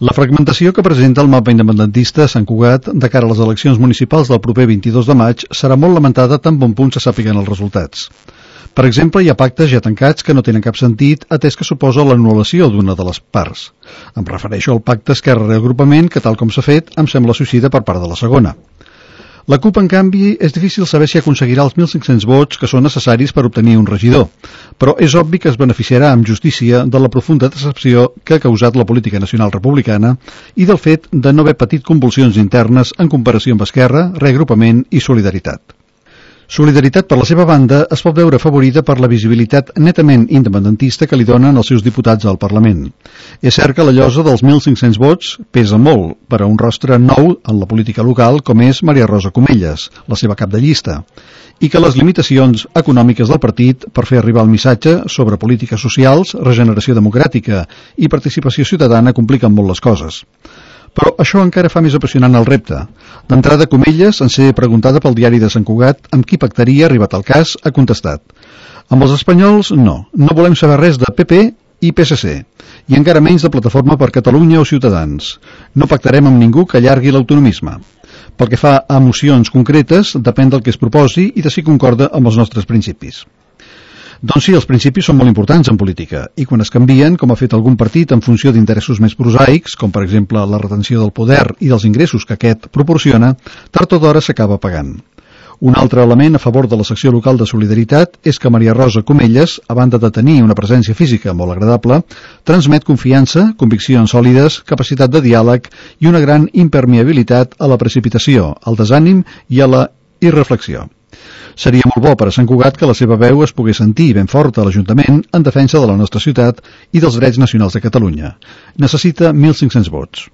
La fragmentació que presenta el mapa independentista a Sant Cugat de cara a les eleccions municipals del proper 22 de maig serà molt lamentada tan bon punt se sàpiguen els resultats. Per exemple, hi ha pactes ja tancats que no tenen cap sentit, atès que suposa l'anul·lació d'una de les parts. Em refereixo al pacte Esquerra-Reagrupament, que tal com s'ha fet, em sembla suïcida per part de la segona. La CUP, en canvi, és difícil saber si aconseguirà els 1.500 vots que són necessaris per obtenir un regidor, però és obvi que es beneficiarà amb justícia de la profunda decepció que ha causat la política nacional republicana i del fet de no haver patit convulsions internes en comparació amb Esquerra, Reagrupament i Solidaritat. Solidaritat, per la seva banda, es pot veure afavorida per la visibilitat netament independentista que li donen els seus diputats al Parlament. És cert que la llosa dels 1.500 vots pesa molt per a un rostre nou en la política local com és Maria Rosa Comelles, la seva cap de llista, i que les limitacions econòmiques del partit per fer arribar el missatge sobre polítiques socials, regeneració democràtica i participació ciutadana compliquen molt les coses. Però això encara fa més apassionant el repte. D'entrada, Comelles, en ser preguntada pel diari de Sant Cugat amb qui pactaria, arribat al cas, ha contestat: amb els espanyols, no. No volem saber res de PP i PSC, i encara menys de Plataforma per Catalunya o Ciutadans. No pactarem amb ningú que allargui l'autonomisme. Pel que fa a mocions concretes, depèn del que es proposi i de si concorda amb els nostres principis. Doncs sí, els principis són molt importants en política, i quan es canvien, com ha fet algun partit en funció d'interessos més prosaics, com per exemple la retenció del poder i dels ingressos que aquest proporciona, tard o d'hora s'acaba pagant. Un altre element a favor de la secció local de Solidaritat és que Maria Rosa Comelles, a banda de tenir una presència física molt agradable, transmet confiança, conviccions sòlides, capacitat de diàleg i una gran impermeabilitat a la precipitació, al desànim i a la irreflexió. Seria molt bo per a Sant Cugat que la seva veu es pogués sentir ben forta a l'Ajuntament en defensa de la nostra ciutat i dels drets nacionals de Catalunya. Necessita 1.500 vots.